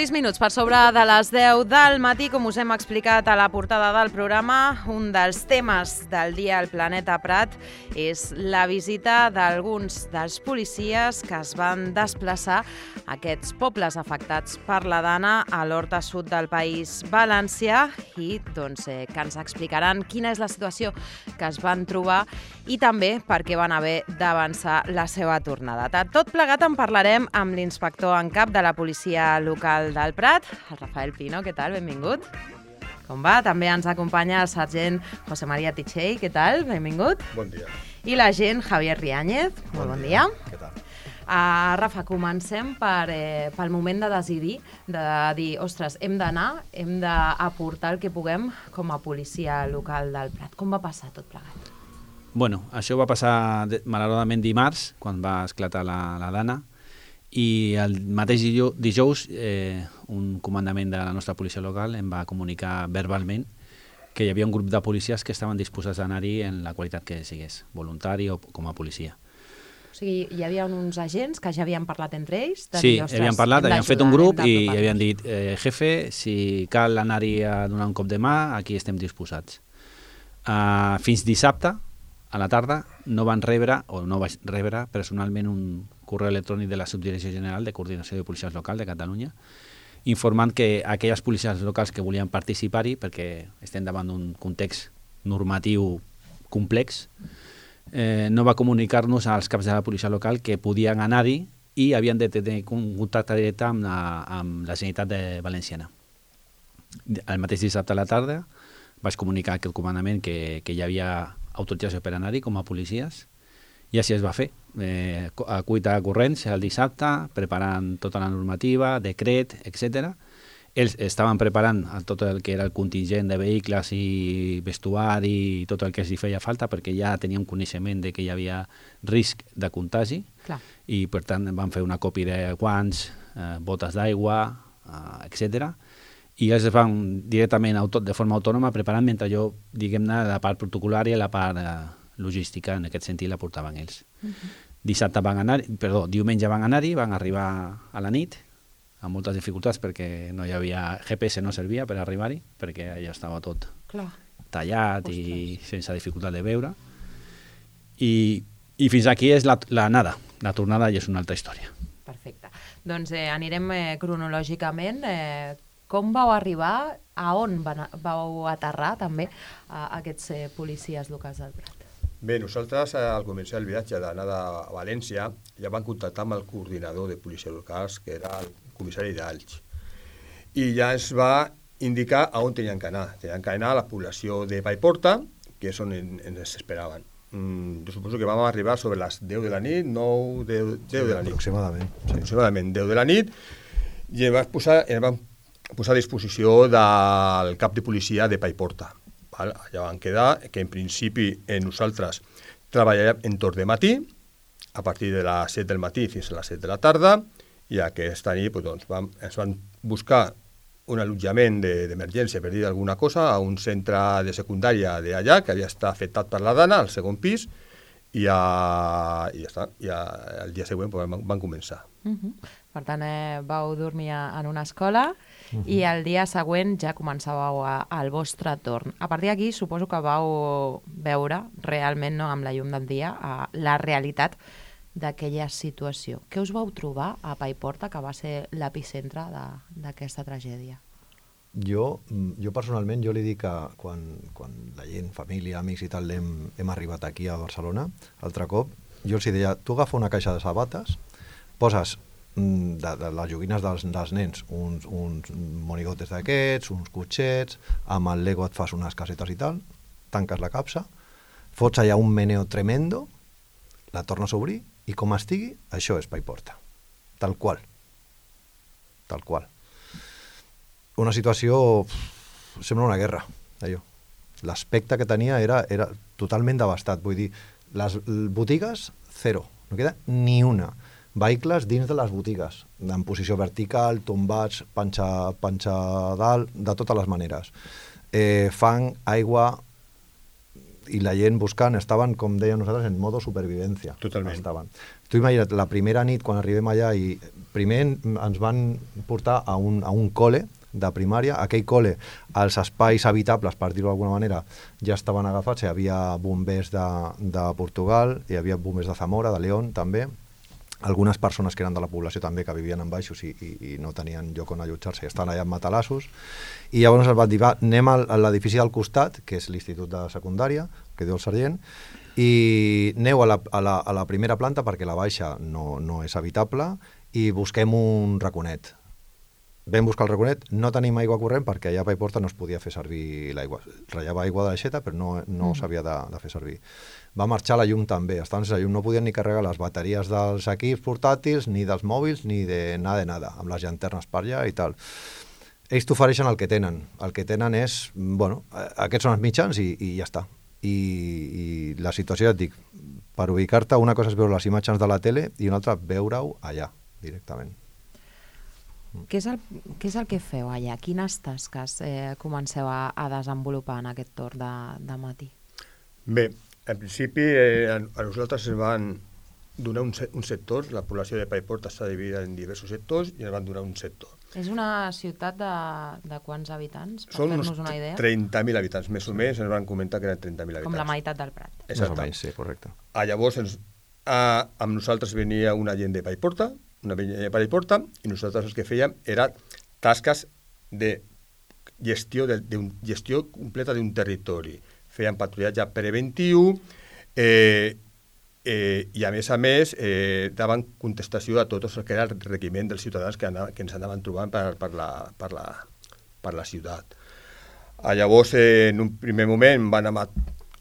6 minuts per sobre de les 10 del matí, com us hem explicat a la portada del programa, un dels temes del dia al Planeta Prat és la visita d'alguns dels policies que es van desplaçar a aquests pobles afectats per la Dana a l'Horta Sud del País Valencià i que ens explicaran quina és la situació que es van trobar i també per què van haver d'avançar la seva tornada. De tot plegat en parlarem amb l'inspector en cap de la policia local del Prat, el Rafael Pino. Què tal? Benvingut. Com va? També ens acompanya el sergent José María Tichei. Què tal? Benvingut. Bon dia. I l'agent Javier Riáñez. Molt bon dia. Què tal? Rafa, comencem pel moment de decidir, de dir, ostres, hem d'anar, hem d'aportar el que puguem com a policia local del Prat. Com va passar tot plegat? Bueno, això va passar malauradament dimarts, quan va esclatar la Dana, i el mateix dijous un comandament de la nostra policia local em va comunicar verbalment que hi havia un grup de policies que estaven disposats a anar-hi en la qualitat que sigués, voluntari o com a policia. O sigui, hi havia uns agents que ja havien parlat entre ells? Sí, havien parlat, havien fet un grup i havien dit, jefe, si cal anar-hi a donar un cop de mà, aquí estem disposats. Fins dissabte, a la tarda, no van rebre, o no vaig rebre personalment un correu electrònic de la Subdirecció General de Coordinació de Policies Locals de Catalunya informant que aquelles policies locals que volien participar-hi, perquè estem davant d'un context normatiu complex, no va comunicar-nos als caps de la policia local que podien anar-hi i havien de tenir un contacte directe amb la Generalitat Valenciana. El mateix dissabte a la tarda vaig comunicar a aquest comandament que hi havia autorització per anar-hi com a policies i així es va fer. A cuita corrents el dissabte, preparant tota la normativa, decret, etc. Ells estaven preparant tot el que era el contingent de vehicles i vestuari i tot el que els feia falta perquè ja teníem coneixement de que hi havia risc de contagi. Clar. I per tant van fer una còpia de guants, botes d'aigua, etc. I ells es van directament de forma autònoma preparant mentre jo, diguem-ne, la part protocolària i la part logística, en aquest sentit, la portaven ells. Diumenge van anar-hi, van arribar a la nit, amb moltes dificultats perquè no hi havia GPS, no servia per arribar-hi, perquè ja estava tot tallat i sense dificultat de veure. I fins aquí és la nada. La tornada ja és una altra història. Perfecte. Doncs anirem cronològicament. Com vau arribar, a on vau aterrar també aquests policies locals del Prat? Bé, nosaltres al començar el viatge d'anada a València ja vam contactar amb el coordinador de policies locals, que era el comissari d'Alch. I ja ens va indicar a on tenien que anar. Tenien que anar a la població de Paiporta, que és on ens esperaven. Jo suposo que vam arribar sobre les 10 de la nit, 9, 10 de la nit. Aproximadament. Sí. Aproximadament 10 de la nit, i ens vam posar a disposició del cap de policia de Paiporta. Allà van quedar que en principi nosaltres treballàvem en torn de matí, a partir de les 7 del matí fins a les 7 de la tarda, i aquesta nit ens van buscar un allotjament d'emergència, per dir alguna cosa, a un centre de secundària d'allà, que havia estat afectat per la Dana, al segon pis, i ja està. I el dia següent van començar. Per tant, vau dormir en una escola i el dia següent ja començàveu al vostre torn. A partir d'aquí suposo que vau veure realment, amb la llum del dia, la realitat d'aquella situació. Què us vau trobar a Paiporta, que va ser l'epicentre d'aquesta tragèdia? Jo personalment, jo li dic que quan la gent, família, amics i tal, hem arribat aquí a Barcelona, altre cop, jo els deia, tu agafa una caixa de sabates, poses de les joguines dels nens uns monigotes d'aquests, uns cotxets, amb el Lego et fas unes casetes i tal, tanques la capsa, fots allà un meneo tremendo, la tornes a obrir i com estigui, això és Paiporta. Tal qual. Una situació sembla una guerra, allò. L'aspecte que tenia era totalment devastat, vull dir, les botigues, zero, no queda ni una. Vehicles dins de les botigues, en posició vertical, tombats, panxa dalt, de totes les maneres. Fang, aigua i la gent buscant, estaven, com dèiem nosaltres, en modo supervivència. Totalment. Estaven. Tu imagina't, la primera nit, quan arribem allà i primer ens van portar a un col·le de primària. Aquell col·le, els espais habitables, per dir-ho d'alguna manera, ja estaven agafats. Hi havia bombers de Portugal, hi havia bombers de Zamora, de León, també. Algunes persones que eren de la població també, que vivien en baixos i no tenien lloc on allotjar-se, i estaven allà en matalassos. I llavors ens van dir, va, anem a l'edifici del costat, que és l'Institut de Secundària, que diu el sergent, i aneu a la primera planta, perquè la baixa no és habitable, i busquem un raconet. Vam buscar el raconet, no tenim aigua corrent perquè allà a Paiporta no es podia fer servir l'aigua. Ratllava aigua de l'aixeta, però no s'havia de fer servir. Va marxar la llum també, estaven sense llum, no podien ni carregar les bateries dels equips portàtils, ni dels mòbils, ni de nada, amb les llanternes per allà i tal. Ells t'ofereixen el que tenen. El que tenen és, bueno, aquests són els mitjans i ja està. I la situació, ja et dic, per ubicar-te, una cosa és veure les imatges de la tele i una altra veure-ho allà, directament. Què és el que feu allà? Quines tasques comenceu a desenvolupar en aquest torn de matí? Bé, en principi a nosaltres ens van donar un sector, la població de Paiporta està dividida en diversos sectors i ens van donar un sector. És una ciutat de quants habitants? Per Són uns fer-nos una idea? 30.000 habitants, més o menys, ens van comentar que eren 30.000 habitants. Com la meitat del Prat. Exacte. Més o menys, sí, correcte. Llavors, amb nosaltres venia una gent de Paiporta, i nosaltres el que fèiem era tasques de gestió completa d'un territori. Fèiem patrullatge preventiu i a més daven contestació a tot el que era el requeriment dels ciutadans que ens anaven trobant per la ciutat. Llavors, en un primer moment van anar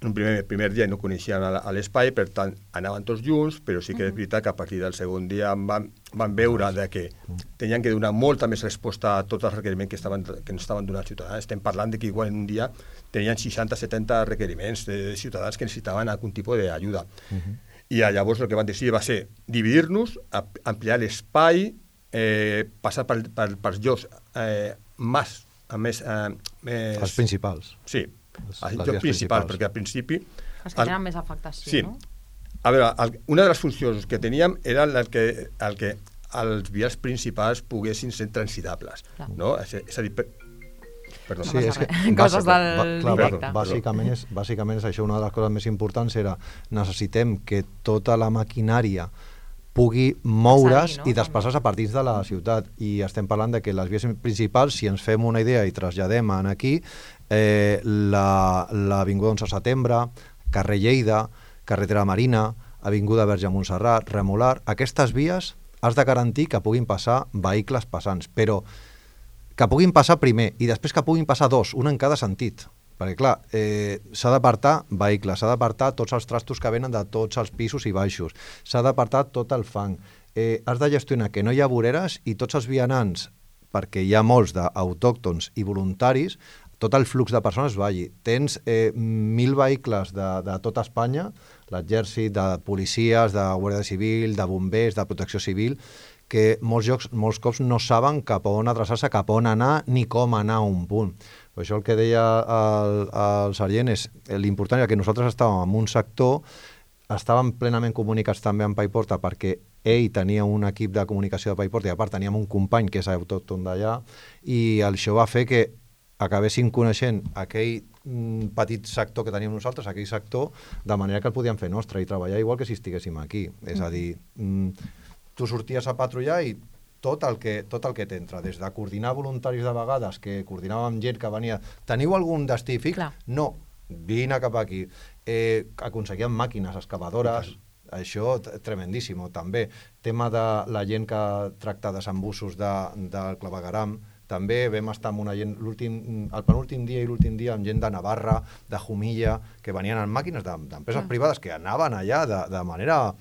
un primer dia no coneixien l'espai, per tant anaven tots junts, però sí que és veritat que a partir del segon dia van veure que tenien que donar molta més resposta a tots els requeriments que ens estaven donant els ciutadans. Estem parlant de que igual en un dia tenien 60-70 requeriments de ciutadans que necessitaven algun tipus d'ajuda. I llavors el que van decidir va ser dividir-nos, ampliar l'espai, passar pels llocs Els principals. Sí, els llocs principals, perquè al principi... Els que tenen més afectació, sí. No? A veure, una de les funcions que teníem era el que els vials principals poguessin ser transitables. No? És a dir, perdó. Sí, és que coses del directe. Bàsicament és això, una de les coses més importants era necessitem que tota la maquinària pugui moure's i desplaçar-se a partir de la ciutat. I estem parlant de que les vies principals, si ens fem una idea i traslladem aquí, l'Avinguda 11 de Setembre, carrer Lleida, carretera Marina, Avinguda Verge Montserrat, Remolar, aquestes vies has de garantir que puguin passar vehicles passants, però que puguin passar primer i després que puguin passar dos, un en cada sentit. Perquè, clar, s'ha d'apartar vehicles, s'ha d'apartar tots els trastos que venen de tots els pisos i baixos, s'ha d'apartar tot el fang, has de gestionar que no hi ha voreres i tots els vianants, perquè hi ha molts d'autòctons i voluntaris, tot el flux de persones vagi. Tens 1.000 vehicles de tota Espanya, l'exèrcit, de policies, de Guàrdia Civil, de bombers, de protecció civil, que molts cops no saben cap a on adreçar-se, cap a on anar, ni com anar a un punt. Per això el que deia el sergent és l'important era que nosaltres estàvem en un sector, estàvem plenament comunicats també amb Paiporta perquè ell tenia un equip de comunicació de Paiporta i a part teníem un company que és autòcton d'allà i això va fer que acabessin coneixent aquell petit sector que teníem nosaltres, aquell sector, de manera que el podíem fer nostre i treballar igual que si estiguéssim aquí. És a dir, tu sorties a patrullar i tot el que t'entra, des de coordinar voluntaris de vegades, que coordinàvem gent que venia... Teniu algun destí fix? Clar. No, vine cap aquí. Aconseguíem màquines, excavadores, això tremendíssim, també. Tema de la gent que tracta desembussos del clavegueram, també vam estar amb una gent el penúltim dia i l'últim dia amb gent de Navarra, de Jumilla, que venien en màquines d'empreses privades que anaven allà de manera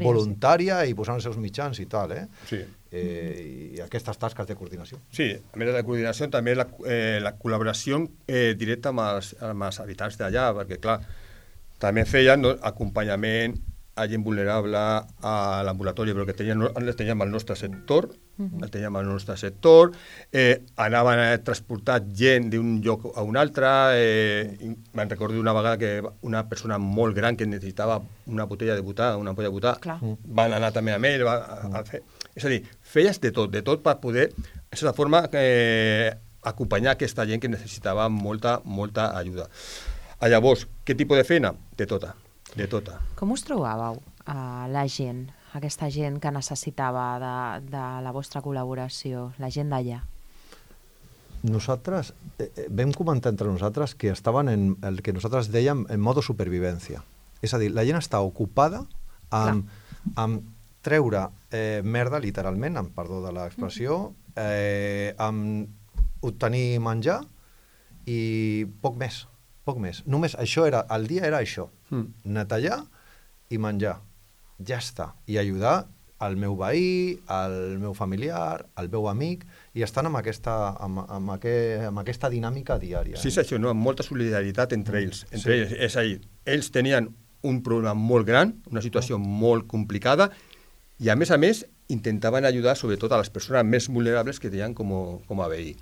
voluntària i posant els seus mitjans i tal, Sí. I aquestes tasques de coordinació. Sí, a més de la coordinació també la col·laboració directa amb els habitants d'allà, perquè clar, també feien acompanyament a gent vulnerable a l'ambulatori, però que teníem al nostre sector, anaven a transportar gent d'un lloc a un altre, me'n recordo una vegada que una persona molt gran que necessitava una botella de butà, van anar també amb ell a fer. És a dir, feies de tot per poder, de certa forma, acompanyar aquesta gent que necessitava molta ajuda. Llavors, què tipus de feina? De tota. Com us trobàveu, la gent, aquesta gent que necessitava de la vostra col·laboració, la gent d'allà? Nosaltres vam comentar entre nosaltres que estaven en el que nosaltres dèiem en modo supervivència. És a dir, la gent està ocupada amb treure merda, literalment, amb perdó de l'expressió, amb obtenir menjar i poc més. Només això era, el dia era això, netejar i menjar. Ja està. I ajudar al meu veí, al meu familiar, al meu amic, i estan amb aquesta dinàmica diària. Sí, és això, no? Amb molta solidaritat entre ells. És a dir, ells tenien un problema molt gran, una situació molt complicada, i a més, intentaven ajudar sobretot a les persones més vulnerables que tenien com a veí.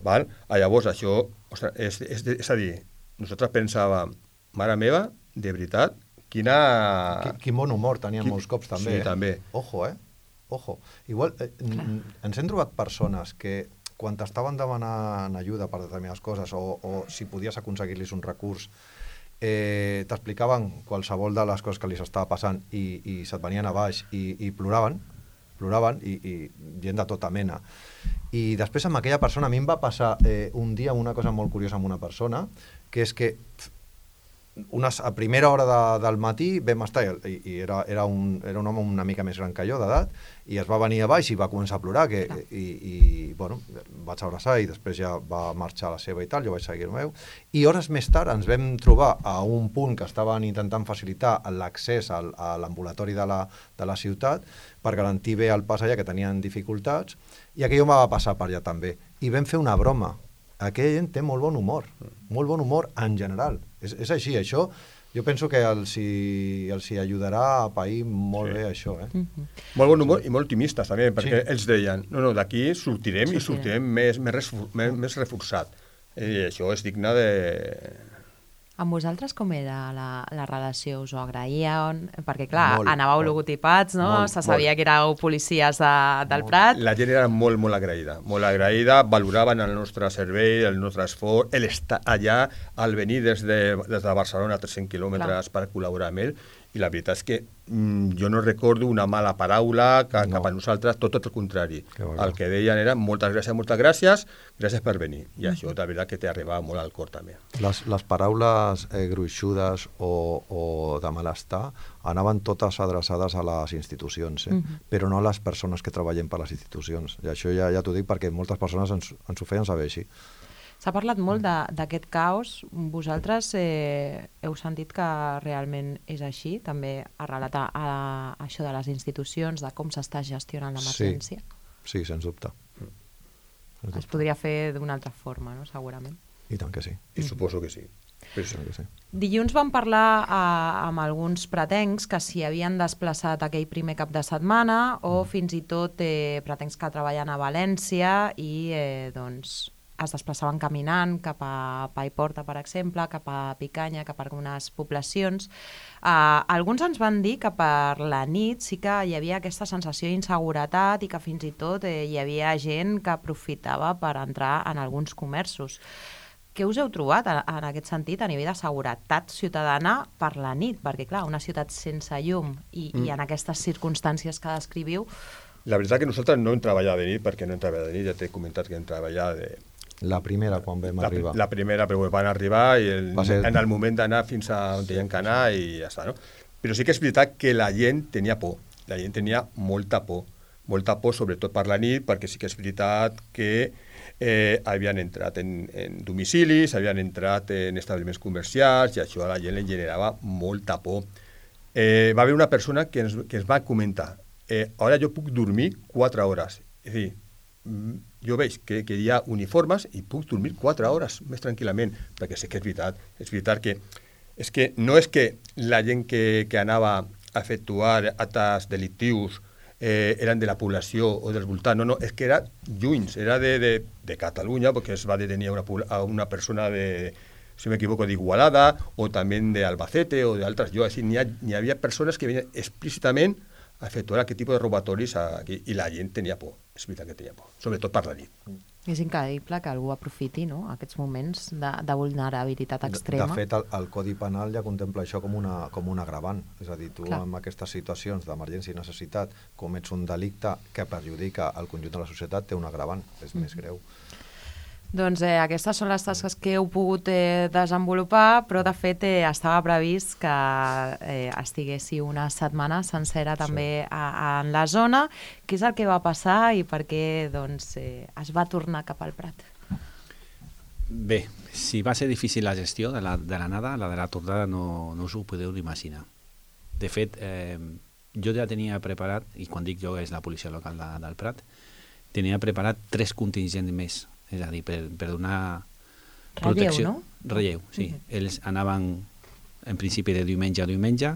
Val? Llavors, això, és a dir, nosaltres pensàvem, mare meva, de veritat, quin bon humor teníem molts cops, també. Sí, també. Ojo. Igual, ens hem trobat persones que, quan t'estaven demanant ajuda per determinades coses, o si podies aconseguir-los un recurs, t'explicaven qualsevol de les coses que li estava passant i se't venien a baix i ploraven i gent de tota mena. I després amb aquella persona, a mi em va passar un dia una cosa molt curiosa amb una persona, que és que a primera hora del matí vam estar, i era un home una mica més gran que jo d'edat, i es va venir a baix i va començar a plorar, bueno, vaig abraçar i després ja va marxar a la seva i tal, jo vaig seguir el meu, i hores més tard ens vam trobar a un punt que estaven intentant facilitar l'accés a l'ambulatori de la ciutat per garantir bé el pas allà, que tenien dificultats, i aquell home va passar per allà també, i vam fer una broma. Aquella gent té molt bon humor en general. És així, això jo penso que els hi ajudarà a pair molt bé això. Molt bon humor i molt optimistes també, perquè ells deien, no, d'aquí sortirem i sortirem més reforçat. I això és digne de... Amb vosaltres com era la relació? Us ho agraïen? Perquè, clar, anàveu logotipats, no? Se sabia que éreu policies del Prat. La gent era molt agraïda, valoraven el nostre servei, el nostre esforç, l'estar allà, al venir des de Barcelona a 300 quilòmetres per col·laborar amb ell, i la veritat és que jo no recordo una mala paraula cap a nosaltres, tot el contrari. El que deien era moltes gràcies per venir. I això, de veritat, que t'arribava molt al cor, també. Les paraules gruixudes o de malestar anaven totes adreçades a les institucions, però no a les persones que treballem per les institucions. I això ja t'ho dic perquè moltes persones ens ho feien saber així. S'ha parlat molt d'aquest caos. Vosaltres heu sentit que realment és així? També arrelat a això de les institucions, de com s'està gestionant l'emergència? Sí, sens dubte. Es podria fer d'una altra forma, no? Segurament. I tant que sí. I suposo que sí. Dilluns vam parlar amb alguns pretencs que s'hi havien desplaçat aquell primer cap de setmana o fins i tot pretencs que treballen a València i doncs es desplaçaven caminant cap a Paiporta, per exemple, cap a Picanya, cap a algunes poblacions. Alguns ens van dir que per la nit sí que hi havia aquesta sensació d'inseguretat i que fins i tot hi havia gent que aprofitava per entrar en alguns comerços. Què us heu trobat en aquest sentit a nivell de seguretat ciutadana per la nit? Perquè, clar, una ciutat sense llum i en aquestes circumstàncies que descriviu... La veritat que nosaltres no hem treballat de nit, perquè no hem treballat de nit, ja t'he comentat que hem treballat La primera, quan vam arribar. La primera, però van arribar i en el moment d'anar fins a on tenien que anar i ja està, no? Però sí que és veritat que la gent tenia por, la gent tenia molta por sobretot per la nit, perquè sí que és veritat que havien entrat en domicilis, havien entrat en establiments comercials i això a la gent li generava molta por. Va haver una persona que ens va comentar ara jo puc dormir 4 hores, és a dir, jo veig que hi ha uniformes i puc dormir 4 hores més tranquil·lament, perquè sé que és veritat que no és que la gent que anava a efectuar actes delictius eren de la població o dels voltants, no, és que era lluny, era de Catalunya, perquè es va detenir a una persona si m'equivoco, d'Igualada o també d'Albacete o d'altres llocs, n'hi havia persones que venien explícitament efectuar aquest tipus de robatoris aquí, i la gent tenia por, és veritat que tenia por, sobretot per la nit. És increïble que algú aprofiti, no?, aquests moments de vulnerabilitat extrema. De fet, el Codi Penal ja contempla això com un agravant. És a dir, tu en aquestes situacions d'emergència i necessitat comets un delicte que perjudica el conjunt de la societat, té un agravant, és més greu. Doncs aquestes són les tasques que heu pogut desenvolupar, però de fet estava previst que estiguéssiu una setmana sencera també en la zona. Què és el que va passar i per què es va tornar cap al Prat? Bé, si va ser difícil la gestió de l'anada, la de la tornada no us ho podeu imaginar. De fet, jo ja tenia preparat, i quan dic jo és la policia local del Prat, tenia preparat 3 contingents més. És a dir, per donar protecció. Relleu, no? Relleu, sí. Ells anaven en principi de diumenge a diumenge,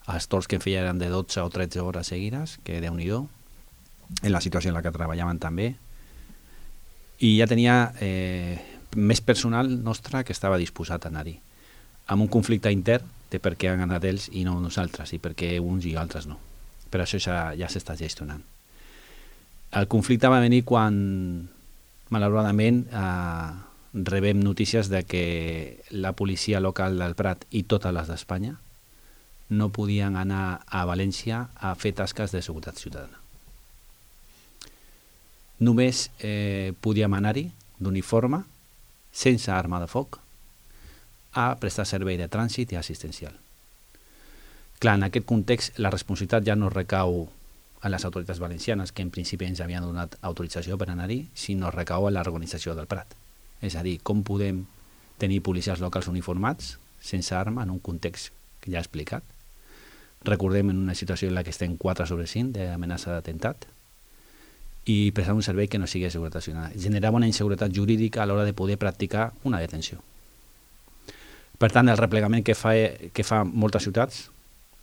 els torns que feien eren de 12 o 13 hores seguides, que Déu-n'hi-do, en la situació en la que treballaven també, i ja tenia més personal nostre que estava disposat a anar-hi. Amb un conflicte intern de per què han anat ells i no nosaltres, i per què uns i altres no. Però això ja s'està gestionant. El conflicte va venir quan malauradament rebem notícies de que la policia local del Prat i totes les d'Espanya no podien anar a València a fer tasques de seguretat ciutadana. Només podíem anar-hi d'uniforme, sense arma de foc, a prestar servei de trànsit i assistencial. Clar, en aquest context la responsabilitat ja no recau a les autoritats valencianes, que en principi ens havien donat autorització per anar-hi, sinó recau a l'organització del Prat. És a dir, com podem tenir policies locals uniformats, sense arma, en un context que ja he explicat. Recordem en una situació en la que estem 4/5 d'amenaça d'atemptat i prestar un servei que no sigui de seguretat ciutadana. Generava una inseguretat jurídica a l'hora de poder practicar una detenció. Per tant, el replegament que fa moltes ciutats,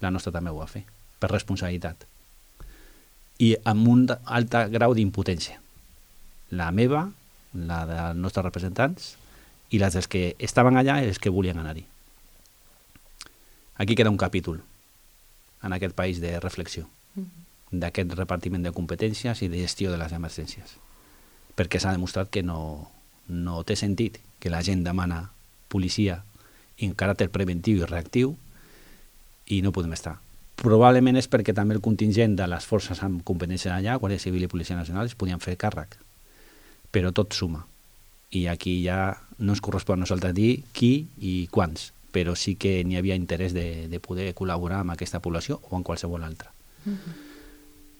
la nostra també ho va fer, per responsabilitat. I amb un alt grau d'impotència. La meva, la dels nostres representants i les dels que estaven allà i els que volien anar-hi. Aquí queda un capítol en aquest país de reflexió d'aquest repartiment de competències i de gestió de les emergències. Perquè s'ha demostrat que no té sentit que la gent demana policia en caràcter preventiu i reactiu i no podem estar. Probablement és perquè també el contingent de les forces amb competència allà, Guàrdia Civil i Policia Nacional, es podien fer càrrec. Però tot suma. I aquí ja no ens correspon a nosaltres dir qui i quants, però sí que n'hi havia interès de poder col·laborar amb aquesta població o amb qualsevol altra.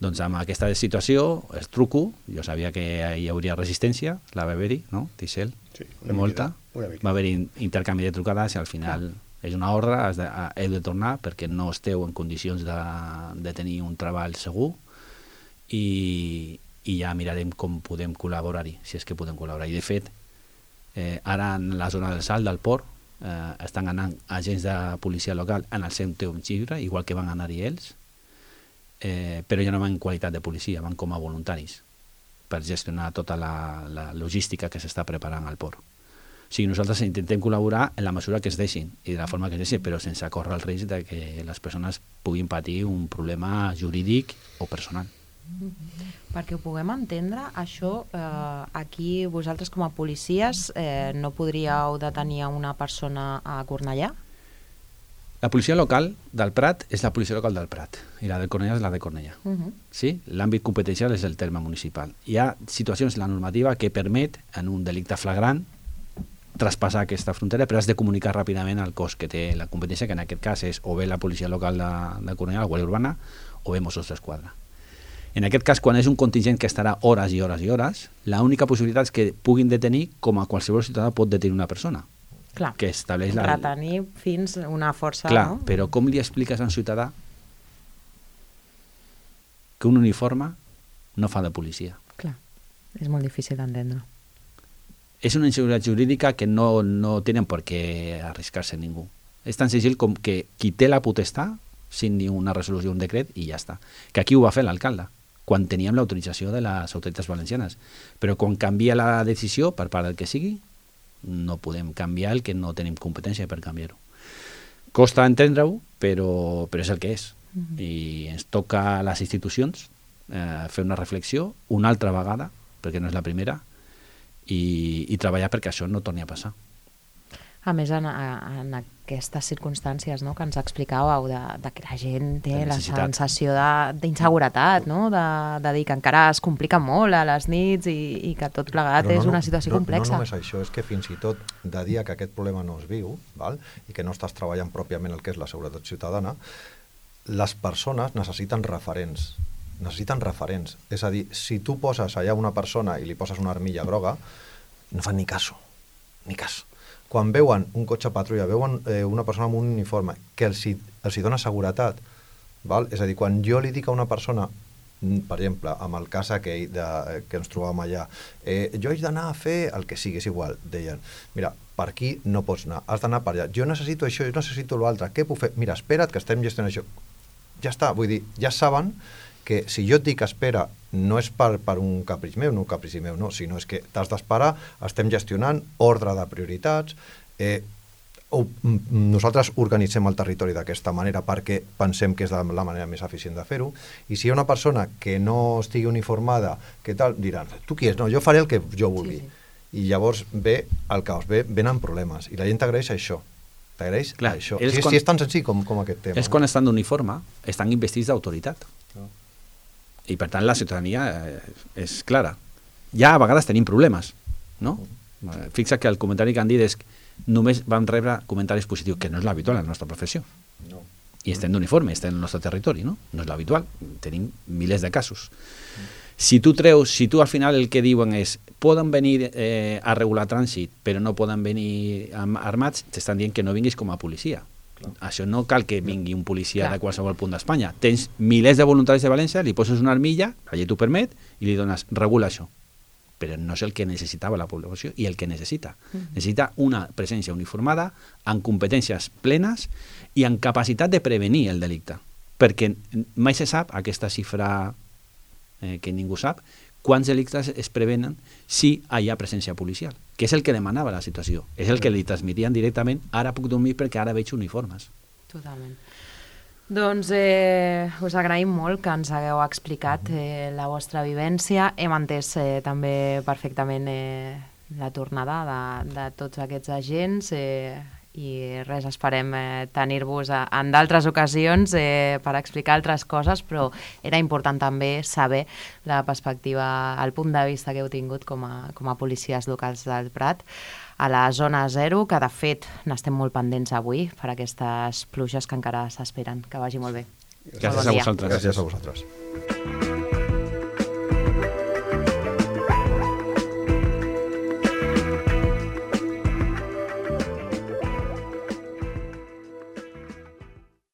Doncs amb aquesta situació els truco, jo sabia que hi hauria resistència, la va haver-hi, no, Tixell? Sí, molta. Va haver-hi intercanvi de trucades i al final és una ordre, heu de tornar perquè no esteu en condicions de tenir un treball segur i ja mirarem com podem col·laborar-hi, si és que podem col·laborar. I de fet, ara en la zona del Salt, del port, estan anant agents de policia local en el seu temps lliure, igual que van anar-hi ells, però ja no van en qualitat de policia, van com a voluntaris per gestionar tota la logística que s'està preparant al port. O sigui, nosaltres intentem col·laborar en la mesura que es deixin i de la forma que es deixin, però sense córrer el risc de que les persones puguin patir un problema jurídic o personal. Perquè ho puguem entendre, això aquí vosaltres com a policies no podríeu detenir una persona a Cornellà? La policia local del Prat és la policia local del Prat i la de Cornellà és la de Cornellà. Sí? L'àmbit competencial és el terme municipal. Hi ha situacions en la normativa que permet, en un delicte flagrant, traspassar aquesta frontera, però has de comunicar ràpidament al cos que té la competència, que en aquest cas és o bé la policia local de Cornellà, la Guàrdia Urbana, o bé Mossos d'Esquadra. En aquest cas, quan és un contingent que estarà hores i hores i hores, l'única possibilitat és que puguin detenir com a qualsevol ciutadà pot detenir una persona. Clar, que estableix retenir fins una força... Clar, no? Però com li expliques a un ciutadà que un uniforme no fa de policia? Clar, és molt difícil d'entendre. És una inseguretat jurídica que no tenen per què arriscar-se ningú. És tan senzill com que qui té la potestat signi una resolució, un decret i ja està. Que aquí ho va fer l'alcalde, quan teníem l'autorització de les autoritats valencianes. Però quan canvia la decisió per part del que sigui, no podem canviar el que no tenim competència per canviar-ho. Costa entendre-ho, però és el que és. I ens toca a les institucions fer una reflexió una altra vegada, perquè no és la primera, i treballar perquè això no torni a passar. A més, en aquestes circumstàncies, no?, que ens explicàveu de que la gent té la sensació d'inseguretat, no?, de dir que encara es complica molt a les nits i que tot plegat és una situació complexa. No només això, és que fins i tot de dia que aquest problema no es viu, val? I que no estàs treballant pròpiament el que és la seguretat ciutadana, les persones necessiten referents. És a dir, si tu poses allà una persona i li poses una armilla groga, no fan ni cas. Quan veuen un cotxe patrulla, veuen una persona amb un uniforme que els dona seguretat, val? És a dir, quan jo li dic a una persona, per exemple, amb el cas aquell que ens trobàvem allà, jo haig d'anar a fer el que sigui, és igual, deien, mira, per aquí no pots anar, has d'anar per allà, jo necessito això, jo necessito l'altre, què puc fer? Mira, espera't que estem gestionant això. Ja està, vull dir, ja saben que si jo et dic espera, no és per un caprici meu, no, sinó és que t'has d'esperar, estem gestionant ordre de prioritats, nosaltres organitzem el territori d'aquesta manera perquè pensem que és la manera més eficient de fer-ho, i si hi ha una persona que no estigui uniformada, què tal, diran, tu qui és? No, jo faré el que jo vulgui. I llavors ve el caos, venen problemes, i la gent t'agraeix això. T'agraeix això. Si és tan senzill com aquest tema. És quan estan d'uniforme, estan investits d'autoritat. I per tant la ciutadania és clara. Ja a vegades tenim problemes, no? Fixa que el comentari que han dit és que només vam rebre comentaris positius, que no és l'habitual en la nostra professió. I estem d'uniforme, estem en el nostre territori, no? No és l'habitual, tenim milers de casos. Si tu al final el que diuen és poden venir a regular trànsit però no poden venir armats, t'estan dient que no vinguis com a policia. Això no cal que vingui un policia de qualsevol punt d'Espanya. Tens milers de voluntaris de València, li poses una armilla, la llei t'ho permet, i li dones, regula això. Però no és el que necessitava la població i el que necessita. Necessita una presència uniformada, amb competències plenes i amb capacitat de prevenir el delicte. Perquè mai se sap, aquesta xifra que ningú sap, quants delictes es prevenen si hi ha presència policial, que és el que demanava la situació, és el que li transmitien directament, ara puc dormir perquè ara veig uniformes. Totalment. Doncs us agraïm molt que ens hagueu explicat la vostra vivència, hem entès també perfectament la tornada de tots aquests agents i res, esperem tenir-vos en d'altres ocasions per explicar altres coses, però era important també saber la perspectiva, el punt de vista que heu tingut com a policies locals del Prat a la zona 0, que de fet n'estem molt pendents avui per aquestes pluges que encara s'esperen. Que vagi molt bé. Gràcies a vosaltres. Gràcies a vosaltres.